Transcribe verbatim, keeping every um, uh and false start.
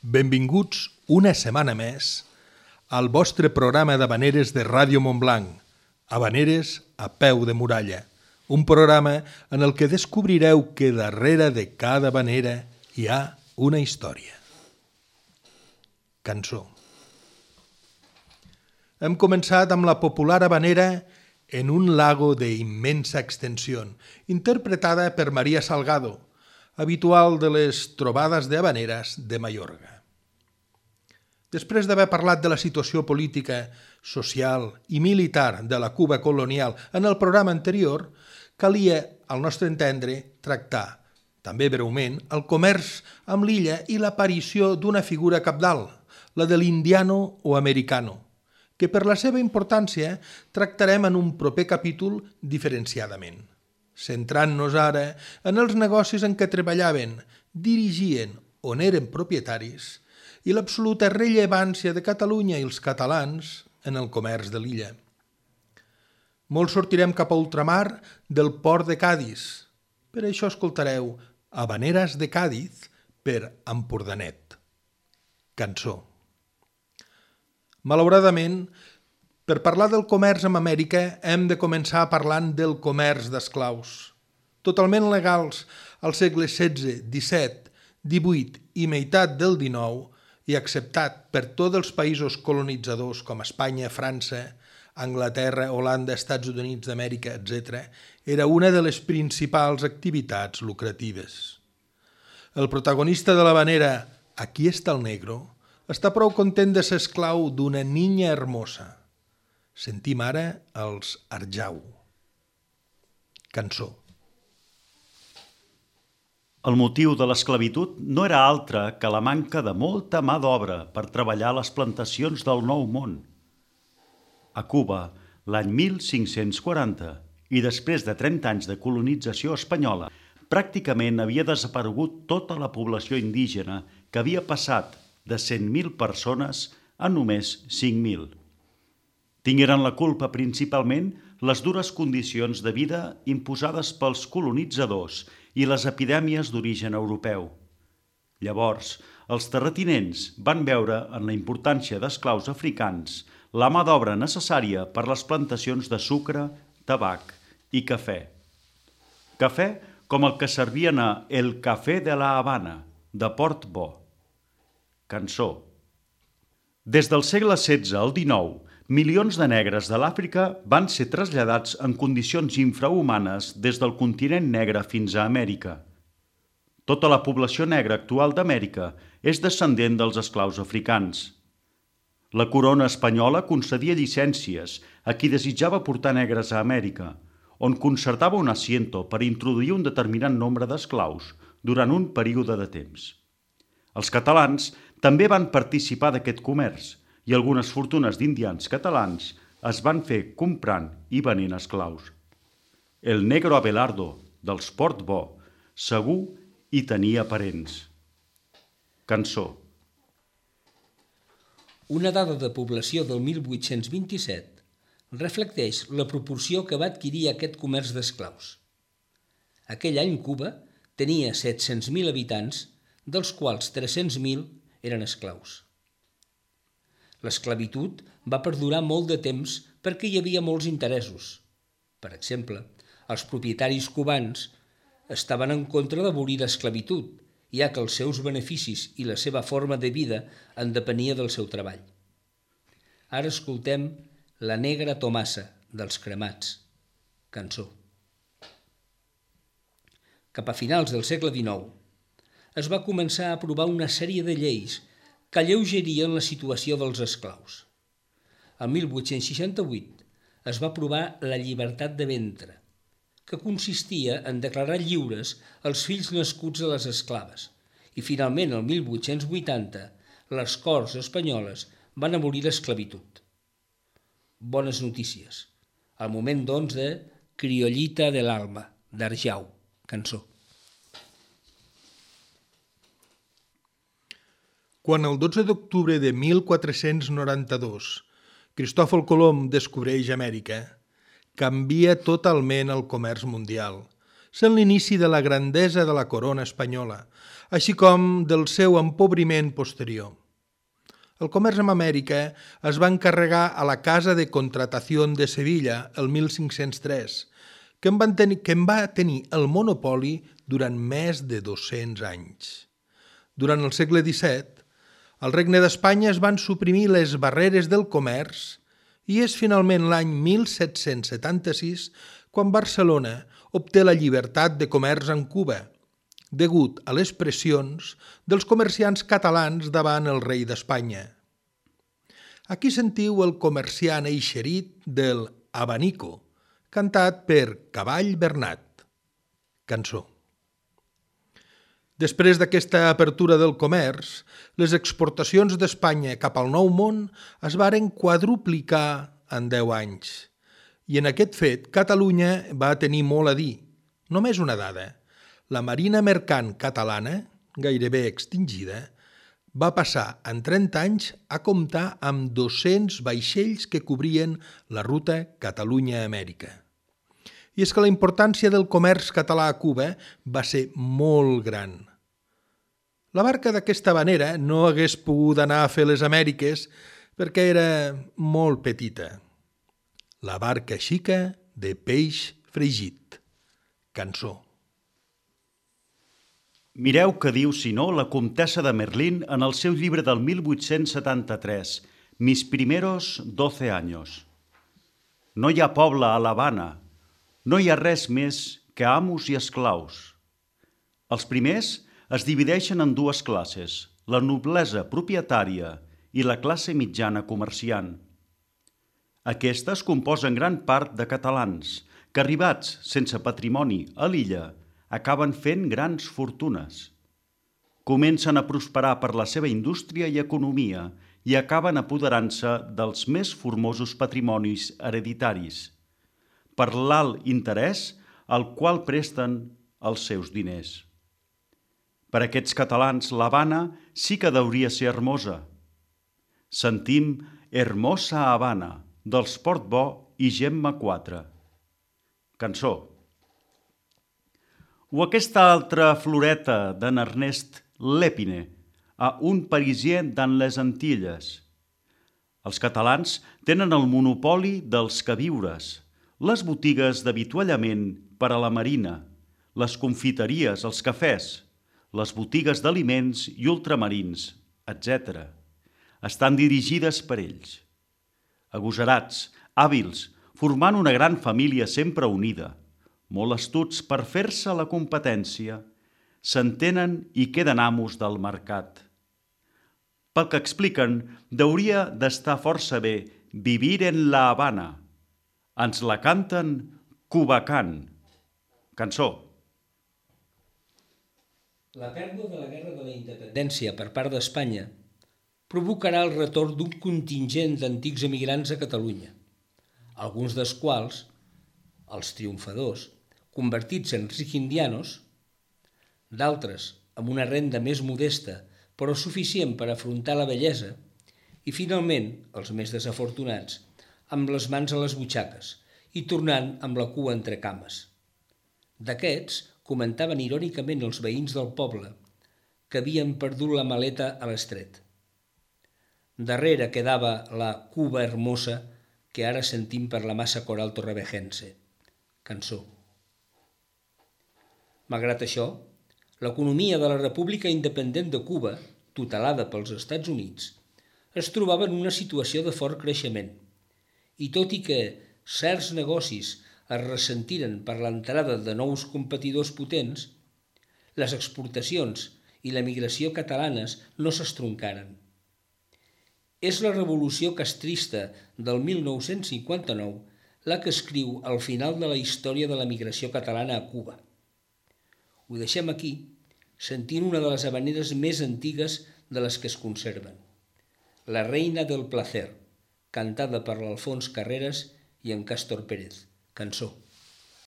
Benvinguts una setmana més al vostre programa d'Havaneres de Ràdio Montblanc, Havaneres a peu de muralla, un programa en el que descobrireu que darrere de cada havanera hi ha una història. Cançó. Hem començat amb la popular havanera En un lago de immensa extensión, interpretada per María Salgado, habitual de les trobades de havaneres de Mallorca. Després d'haver parlat de la situació política, social i militar de la Cuba colonial en el programa anterior, calia, al nostre entendre, tractar, també breument, el comerç amb l'illa i l'aparició d'una figura cabdal, la de l'indiano o americano, que per la seva importància tractarem en un proper capítol diferenciadament, centrant-nos ara en els negocis en què treballaven, dirigien on eren propietaris i l'absoluta rellevància de Catalunya i els catalans en el comerç de l'illa. Molt sortirem cap a ultramar del port de Càdiz. Per això escoltareu Havaneres de Càdiz per Empordanet. Cançó. Malauradament, per parlar del comerç amb Amèrica hem de començar parlant del comerç d'esclaus. Totalment legals als segles setze, disset, divuit i meitat del dinou i acceptat per tots els països colonitzadors com Espanya, França, Anglaterra, Holanda, Estats Units d'Amèrica, etcètera, era una de les principals activitats lucratives. El protagonista de l'havanera Aquí està el negro està prou content de ser esclau d'una niña hermosa. Sentim ara els Arjau. Cançó. El motiu de l'esclavitud no era altre que la manca de molta mà d'obra per treballar a les plantacions del Nou Món. A Cuba, l'any mil cinc-cents quaranta, i després de trenta anys de colonització espanyola, pràcticament havia desaparegut tota la població indígena que havia passat de cent mil persones a només cinc mil. Tingueren la culpa principalment les dures condicions de vida imposades pels colonitzadors i les epidèmies d'origen europeu. Llavors, els terratinents van veure en la importància d'esclaus africans la mà d'obra necessària per les plantacions de sucre, tabac i cafè. Cafè com el que servien a El Café de la Habana, de Port Bo. Cançó. Des del segle setze al dinou, milions de negres de l'Àfrica van ser traslladats en condicions infrahumanes des del continent negre fins a Amèrica. Tota la població negra actual d'Amèrica és descendent dels esclaus africans. La corona espanyola concedia llicències a qui desitjava portar negres a Amèrica, on concertava un asiento per introduir un determinat nombre d'esclaus durant un període de temps. Els catalans també van participar d'aquest comerç i algunes fortunes d'indians catalans es van fer comprant i venent esclaus. El negro Abelardo, dels Port Bo, segur hi tenia parents. Cançó. Una dada de població del mil vuit-cents vint-i-set reflecteix la proporció que va adquirir aquest comerç d'esclaus. Aquell any Cuba tenia set-cents mil habitants, dels quals tres-cents mil eren esclaus. L'esclavitud va perdurar molt de temps perquè hi havia molts interessos. Per exemple, els propietaris cubans estaven en contra d'abolir l'esclavitud, ja que els seus beneficis i la seva forma de vida en depenia del seu treball. Ara escoltem La negra Tomasa, dels Cremats. Cançó. Cap a finals del segle dinou es va començar a aprovar una sèrie de lleis que alleugerien la situació dels esclaus. El mil vuit-cents seixanta-vuit es va aprovar la llibertat de ventre, que consistia en declarar lliures els fills nascuts a les esclaves, i finalment el mil vuit-cents vuitanta les Corts espanyoles van abolir l'esclavitud. Bones notícies. El moment, doncs, de Criollita del Alma, d'Arjau. Cançó. Quan el dotze d'octubre de mil quatre-cents noranta-dos Cristòfol Colom descobreix Amèrica, canvia totalment el comerç mundial, sent l'inici de la grandesa de la corona espanyola, així com del seu empobriment posterior. El comerç amb Amèrica es va encarregar a la Casa de Contratació de Sevilla el mil cinc-cents tres, que en, van tenir, que en va tenir el monopoli durant més de dos-cents anys. Durant el segle disset, al Regne d'Espanya es van suprimir les barreres del comerç i és finalment l'any mil set-cents setanta-sis quan Barcelona obté la llibertat de comerç amb Cuba, degut a les pressions dels comerciants catalans davant el rei d'Espanya. Aquí sentiu el comerciant eixerit del Abanico, cantat per Cavall Bernat. Cançó. Després d'aquesta apertura del comerç, les exportacions d'Espanya cap al Nou Món es varen quadruplicar en deu anys. I en aquest fet, Catalunya va tenir molt a dir. Només una dada. La marina mercant catalana, gairebé extingida, va passar en trenta anys a comptar amb dos-cents vaixells que cobrien la ruta Catalunya-Amèrica. I és que la importància del comerç català a Cuba va ser molt gran. La barca d'aquesta havanera no hagués pogut anar a fer les Amèriques perquè era molt petita. La barca xica de peix fregit. Cançó. Mireu què diu, si no, la comtessa de Merlín en el seu llibre del mil vuit-cents setanta-tres, Mis primeros doce años. No hi ha poble a l'Havana, no hi ha res més que amos i esclaus. Els primers es divideixen en dues classes, la noblesa propietària i la classe mitjana comerciant. Aquestes composen gran part de catalans que, arribats sense patrimoni a l'illa, acaben fent grans fortunes. Comencen a prosperar per la seva indústria i economia i acaben apoderant-se dels més formosos patrimonis hereditaris, per l'alt interès al qual presten els seus diners. Per aquests catalans, l'Havana sí que hauria ser hermosa. Sentim Hermosa Havana, dels Portbó i Gemma quatre. Cançó. O aquesta altra floreta d'en Ernest Lépine, a un parisien dans les Antilles. Els catalans tenen el monopoli dels queviures, les botigues d'avituallament per a la marina, les confiteries, els cafès, les botigues d'aliments i ultramarins, etcètera. Estan dirigides per ells. Agosarats, hàbils, formant una gran família sempre unida, molt astuts per fer-se la competència, s'entenen i queden amos del mercat. Pel que expliquen, hauria d'estar força bé vivir en la Habana. Ens la canten Cubacán. Cançó. La pèrdua de la Guerra de la Independència per part d'Espanya provocarà el retorn d'un contingent d'antics emigrants a Catalunya, alguns dels quals, els triomfadors, convertits en riquindianos, d'altres amb una renda més modesta però suficient per afrontar la vellesa, i finalment els més desafortunats, amb les mans a les butxaques i tornant amb la cua entre cames. D'aquests comentaven irònicament els veïns del poble que havien perdut la maleta a l'estret. Darrere quedava la Cuba hermosa que ara sentim per la massa coral torrevejense. Cançó. Malgrat això, l'economia de la República Independent de Cuba, tutelada pels Estats Units, es trobava en una situació de fort creixement, i tot i que certs negocis es ressentiren per l'entrada de nous competidors potents, les exportacions i l'emigració catalanes no s'estroncaren. És la revolució castrista del mil nou-cents cinquanta-nou la que escriu el final de la història de l'emigració catalana a Cuba. Ho deixem aquí, sentint una de les havaneres més antigues de les que es conserven, La Reina del Placer, cantada per l'Alfons Carreras i en Càstor Pérez. Cançó.